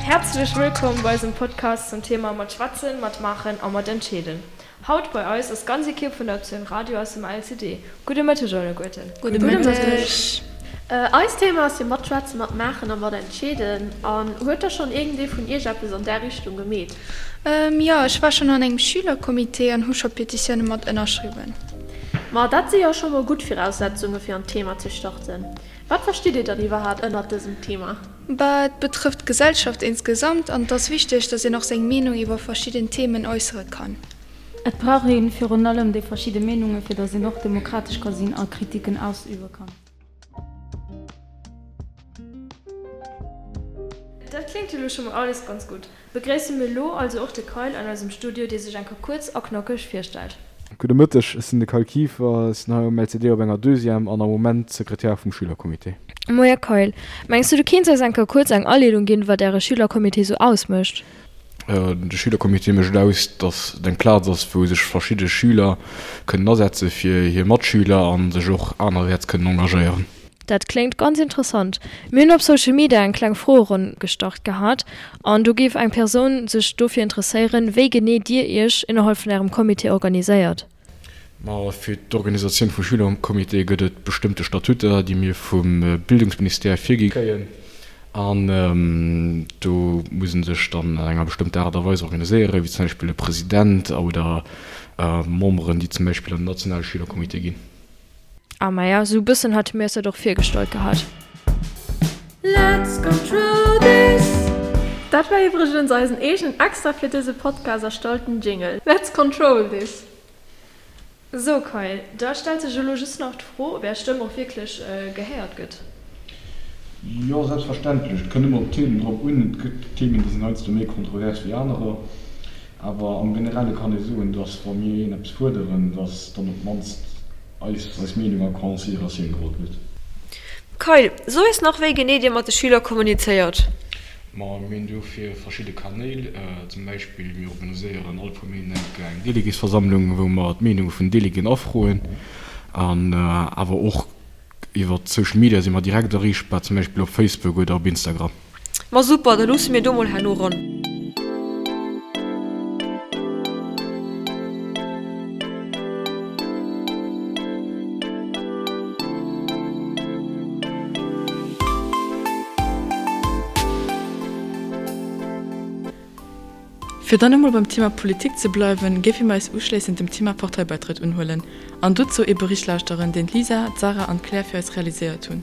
Häerzlech wëllkomm bei eisem Podcast zum Thema Mat schwätzen, mat maachen a mat entscheeden. Haut bei eis ass d'ganz Ekipp vun der Optioun Radio aus dem LCD. Gudde Mëtteg alleguerten. Gudde Mëtteg. Eist Thema ass jo mat schwätzen, mat maachen a mat entscheeden. An huet da schonn iergendee vun iech eppes an där Richtung gemeet? Jo, ech war schonn an engem Schülercomité an hu scho Petitioune mat ënnerschriwwen. Ma dat si jo scho mol gutt Viraussetzunge fir an d'Thema ze starten. Wat verstitt Dir dann iwwerhaapt ënnert dësem Thema? Bah, et betrëfft d'Gesellschaft insgesamt an et ass wichteg, dass een och seng Meenung iwwer verschidden Themen äussere kann. Et brauch ee virun allem déi verschidde Meenunge fir dass een och demokratesch ka sinn a Kritiken ausübe kann. Dat kléngt jo lo scho mol alles ganz gutt. Begréisse mir elo also och de Kyle an eisem Studio, dee sech eng Kéier kuerz a knackeg virstellt. Gudde Mëtteg, ech sinn de Kyle Kieffer, ech sinn hei um LCD op enger Deuxième an am Moment Sekretär vum Schülercomité. Moie Kyle, mengs du du kéints eis eng Kéier kuerz eng Aleedung ginn, wat äre Schülercomité sou ausmécht? De Schülercomité mécht et aus, datt et eng Plaz ass, wou sech verschidde Schüler kënnen asetze fir hir Matschüler a sech och anerwäerts kënnen engagéieren. Dat kléngt ganz interessant. Mir hunn op Social Media eng kleng Froeronn gestart gehat an do géif eng Persoun sech dofir interesséieren, wéi genee dir iech innerhalb vun ärem Comité organiséiert. Ma fir d'Organisatioun vum Schülercomité gëtt et bestëmmte Statuter, déi mir vum Bildungsministère virgi kréien an do muss ee sech dann an enger bestëmmter Aart a Weis organiséieren, wéi zum Beispill e President oder Memberen, déi zum Beispill an den nationale Schülercomité ginn. Ah maja, sou bëssen hate mir eis dat och virgestallt gehat. Let's control this! Dat war iwwregens eisen eegenen extra fir dëse Podcast erstallten Jingle. Let's control this! Sou Kyle, da stellt sech elo just nach d'Fro, ob är Stëmm och wierklech gehéiert gëtt. Jo, selbstverständlech. Et kënnt ëmmer op d'Themen drop un. Et gëtt Themen, déi sinn heiansdo méi kontrovers wéi anerer. Awer am Generelle kann ee soen, dass wa mir een eppes fuerderen, dass dann op d'mannst eis eis Meenung a Consideratioun geholl gëtt. Kyle, so eis nach wéi genee dir mat de Schüler kommunizéiert. Ma mir hunn dofir verschidde Kanäl. Zum Beispill mir organiséieren all puer Méint eng Kéier eng Déléguésversammlung, wou mer d'Meenunge vun den Déléguéen afroen. An awer och Iwwer Social Media si mer direkt erreechbar, zum Beispill op Facebook oder op Instagram. Ma super, da luusse mir do mol herno ran. Fir dann emol beim Thema Politik ze bleiwen, géife mir eis uschléissend dem Thema Parteibeitrëtt unhuelen an dozou ee Bericht lauschteren, deen d'Lisa, d'Sarah an d'Claire fir eis realiséiert hunn.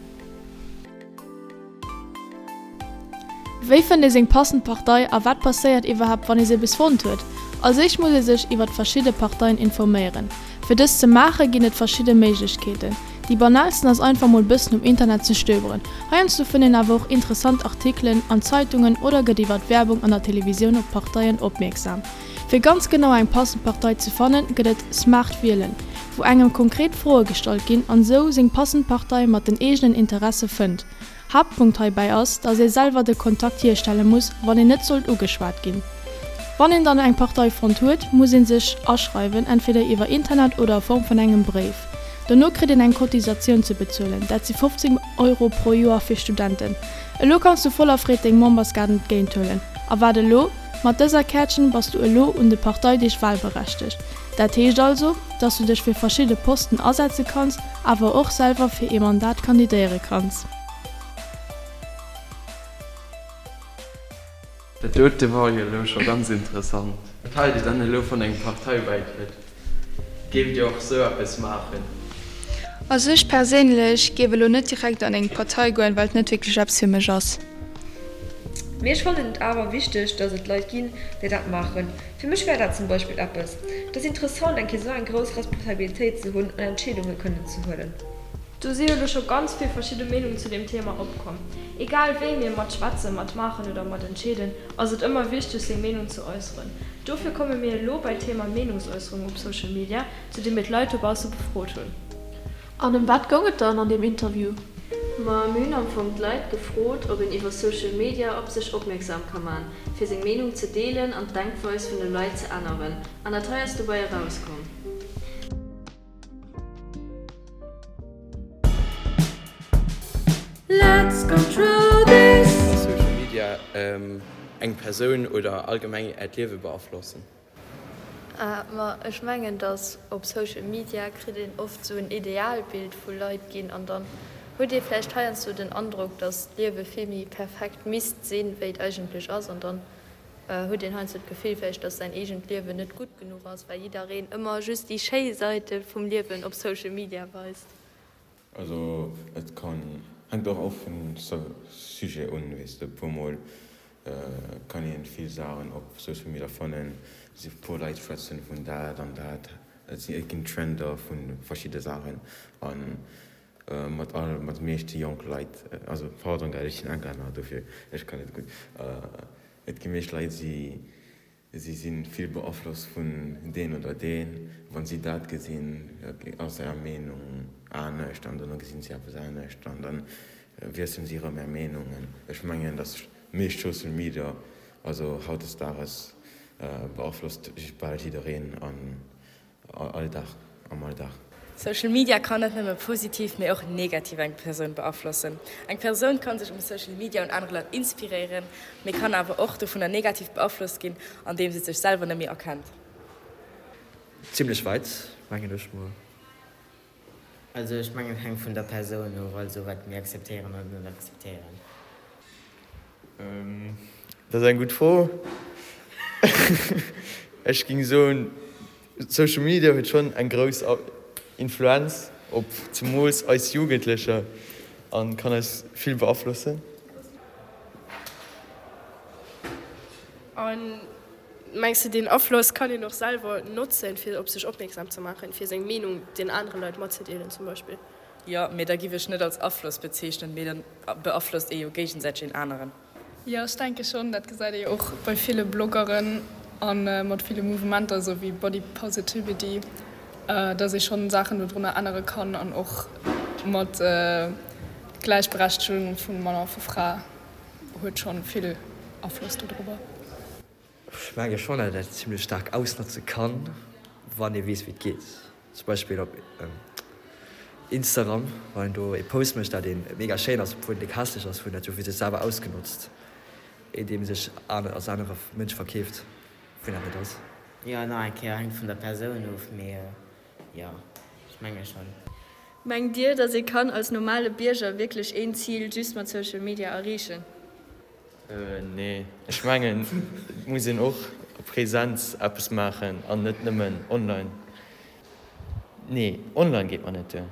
Wéi fënnt ee seng passend Partei a wat passéiert iwwerhaapt wann ee se bis fonnt huet? Als éischt muss ee sech iwwert verschidde Parteien informéieren. Fir dëst ze maache ginn et verschidde Méiglechkeeten. Déi banalsten ass einfach mol bëssen um Internet ze stöberen. Heiansdo fënnt een awer och interessant Artikelen an Zeitungen oder gëtt iwwert Werbung an der Televisioun op Parteien opmierksam. Fir ganz genau eng passend Partei ze fannen, gëtt et Smart Wielen, wou engem konkret Froe gestallt ginn an sou seng passend Partei mat den eegenen Interesse fënnt. Haaptpunkt heibäi ass, dass ee selwer de Kontakt hierstelle muss, wann een net sollt ugeschwat ginn. Wann een dann eng Partei fonnt huet, muss een sech aschreiwen, entweder iwwer Internet oder a Form vun engem Bréif. Dono kritt een eng Cotisatioun ze bezuelen, dat si 15 Euro pro Joer fir Studenten. Elo kanns du voller Freed deng Memberskaart entgéint huelen. A wat elo? Mat dëser Käertchen bass du elo un de Parteideeg wahlberechtegt. Dat heescht also, dass du dech fir verschidde Posten asetze kanns, awer och selwer fir ee Mandat kandidéiere kanns. Dat dote wor jo elo scho ganz interessant. Wat haalt Dir dann elo vun engem Parteibäitrëtt? Géift Dir och sou eppes maachen? Also ech perséinlech géif elo net direkt an eng Partei goen, well et net wierklech eppes fir mech ass. Mee ech fannen et awer wichteg, dass et Leit ginn, déi dat maachen. Fir mech wär dat zum Beispill eppes. Et ass interessant, eng Kéier sou eng grouss Responsabilitéit ze hunn an Entscheedunge kënnen ze huelen. Do si jo elo scho ganz vill verschidde Meenungen zu deem Thema opkomm. Egal wéi mir mat schwätzen, mat maachen oder mat entscheeden, ass et ëmmer wichteg seng Meenung ze äusseren. Dofir komme mir elo bei d'Thema Meenungsäusserung op Social Media, zu deem mir d'Leit dobausse befrot hunn. An ëm wat goung et dann an deem Interview? Ma mir hunn am Fong d'Leit gefrot, ob een iwwer Social Media op sech opmierksam ka man, fir seng Meenung ze deelen an d'Denkweis vun de Leit ze änneren. An dat hei ass dobäi erauskomm. Let's control this! Ass Social Media. eng Persoun oder allgemeng Äert Liewe beaflossen? Ma ech mengen, dass op Social Media kritt een oft sou en Idealbild vu Leit ginn an dann huet ee vläicht heiansdo den Androck, dass d'Liewe vill méi perfekt misst sinn, wéi et eigentlech ass an dann huet een heiansdo d'Gefill vläicht, dass säin eegent Liewen net gutt genuch ass, well jiddereen ëmmer just déi schéi Säite vum Liewen op Social Media weist. Also et kann, hänkt och of vum Sujet un, weess de, puer mol kann een vill Saachen op Social Media fannen, si puer Leit schwätzen vun dat an dat, et si et ginn Trender vu verschidde Saachen an mat all mat de meeschte jonk Leit, also pardon gell, ech sinn Englänner dofir ech kann net gutt, et gi meescht Leit si Si si vill beaflosst vun deen oder deen. Wann si dat gesinn, ass är Meenung anescht an dono gesinn si eppes anescht an da wiesselen si erëm är Meenungen. Ech mengen, datt meescht Social Media, also hautdesdaages beaflosst bal jiddereen an Alldag, am Alldag. Social Media kann net nëmme positiv, mee och negativ eng Persoun beaflossen. Eng Persoun kann sech um Social Media un anere Leit inspiréieren, mee kann awer och dovunner negativ beaflosst ginn, andeem se sech selwer net méi erkennt. Zimlech weit, mengen ech mol. Also ech mengen et hänkt vun der Persoun of, also wat mir akzeptéieren oder net akzeptéieren. Dat ass eng gutt Fro. Ech géing soen, Social Media huet schonn eng grouss Influenz op zemools eis Jugendlecher a kann eis vill beaflossen. An mengs de deen Afloss kann een och selwer notzen fir op sech opmierksam ze maachen, fir seng Meenung den anere Leit matzedeelen zum Beispill? Jo, mee da giff ech net als Afloss bezeechnen, mee dann beaflosst ee jo géigesäiteg een aneren. Jo, ech denke schonn. Dat gesäit ee jo och bei ville Bloggeren a mat ville Mouvementer esou wéi Body Positivity, dass ee schonn Saachen dodrunner ännere kann an och mat Gläichberechtegung vu Mann a vu Fra huet schonn vill Afloss dodrobber. Ech menge schonn, datt een dat zimlech staark ausnotze kann, wann ee weess wéi et geet. Zum Beispill op Instagram, wann een do ee Post mécht, dat ee mega schéin ass, obwuel en déck hässlech ass, huet en dat jo fir sech selwer ausgenotzt, indeem e sech als anere Mënsch verkeeft, wien dat net ass. Jo, nach eng Kéier, hänkt vun der Persoun of, mee jo, ech menge schonn. Mengt Dir, dass ee kann als normale Bierger wierklech een Zil just mat Social Media erreechen? Nee, ech mengen et muss een och a Präsenz eppes maachen an net nëmmen online. Nee, online geet mer net duer,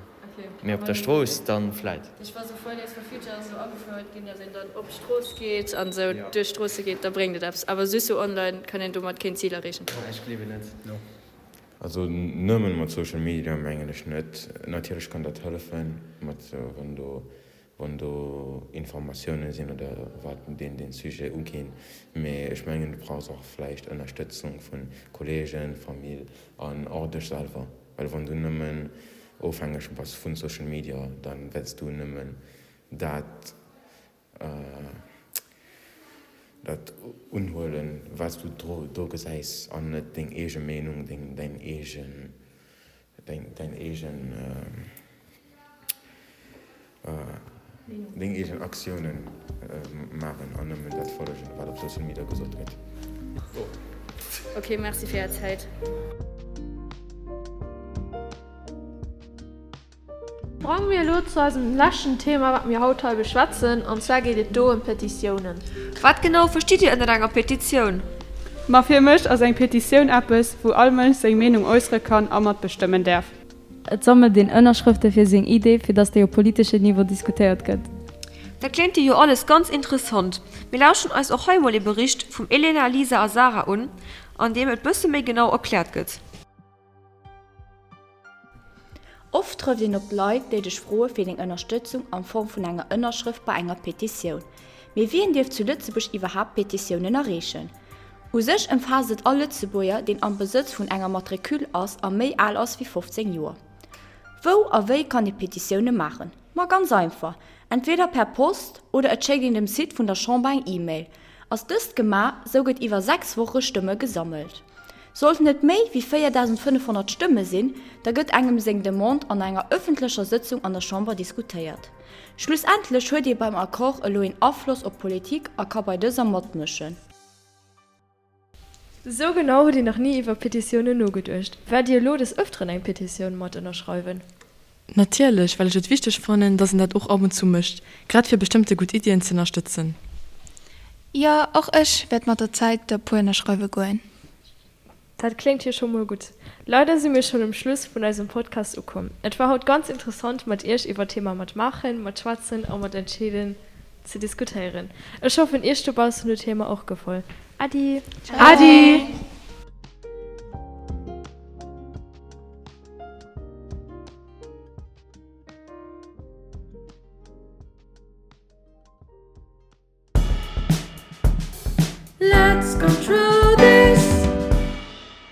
mee op der Strooss dann vläit. Ech war sou Fridays for Future ass esou agefouert ginn, dass een dann op d'Strooss geet an esou duerch d'Stroosse geet, da bréngt et eppes. Awer just sou online kann een domat keen Zil erreechen. Ech gleewen net. Also nëmmen mat Social Media mengen ech net. Natierlech kann dat hëllefen, mat wann do wann do Informatioune sinn oder wat deen deen Sujet uginn. Mee ech mengen du brauchs och vläicht Ënnerstëtzung vu Kollegen, Famill an och dech selwer. Well wann du nëmmen ofhängeg bass vun Social Media, dann wäerts du nëmmen dat Dat unhuelen, wat s du do gesäis, an net deng eege Meenung, deng däin eegen, däin eegen, deng eegen Aktiounen maachen an nëmmen dat follegen, wat op Social Media gesot gëtt. Ok, merci fir är Zäit. Sprange mir elo zu eisem leschten Thema, wat mir haut hei beschwätzen, an zwar geet et do ëm Petitiounen. Wat genau verstitt Dir ënnert enger Petitioun? Ma fir mech ass eng Petitioun eppes, wou all Mënsch seng Meenung äussere kann a matbestëmmen däerf. Et sammelt een Ënnerschrëfte fir seng Idee, fir datt déi op politeschem Niveau diskutéiert gëtt. Dat kléngt jo alles ganz interessant. Mir lauschteren eis och hei mol ee Bericht vum Elena, Lisa a Sarah un, an deem et bësse méi genau erkläert gëtt. Oft trëfft een op Leit, déi dech froe fir deng Ënnerstëtzung an Form vun enger Ënnerschrëft bei enger Petitioun. Mee wien dierf zu Lëtzebuerg iwwerhaapt Petitiounen areechen? U sech ëmfaasst et all Lëtzebuerger, deen am Besëtz vun enger Matricule ass a méi al ass wéi 15 Joer. Wou a wéi kann ee Petitioune maachen? Ma ganz einfach, entweder per Post oder et schéckt een dem Site vun der Chamber eng E-Mail. Ass dëst gemaach, sou gëtt iwwer 6 Woche Stëmme gesammelt. Sollten et méi wéi 4.500 Stëmme sinn, da gëtt engem seng Demande an enger ëffentlecher Sëtzung an der Chamber diskutéiert. Schlussendlech huet ee beim Accord elo een Afloss op d'Politik a ka bei dëser matmëschen. Sou genau hutt Dir nach ni iwwer Petitiounen nogeduecht. Wäert Dir elo des Ëfteren eng Petitioun mat ënnerschreiwen? Natierlech, well ech et wichteg fannen, dass een dat och ab und zu mécht, grad fir bestëmmte gutt Iddien ze ënnerstëtzen. Jo, och ech wäert mat der Zäit der puer ënnerschreiwe goen. Dat kléngt jo scho mol gutt. Leider si mir schonn um Schluss vun eisem Podcast ukomm. Et war haut ganz interessant mat iech iwwer d'Thema mat maachen, mat schwätzen a mat entscheeden ze diskutéieren. Ech hoffen iech dobaussen huet d'Thema och gefoll. Äddi! Äddi! Let's control.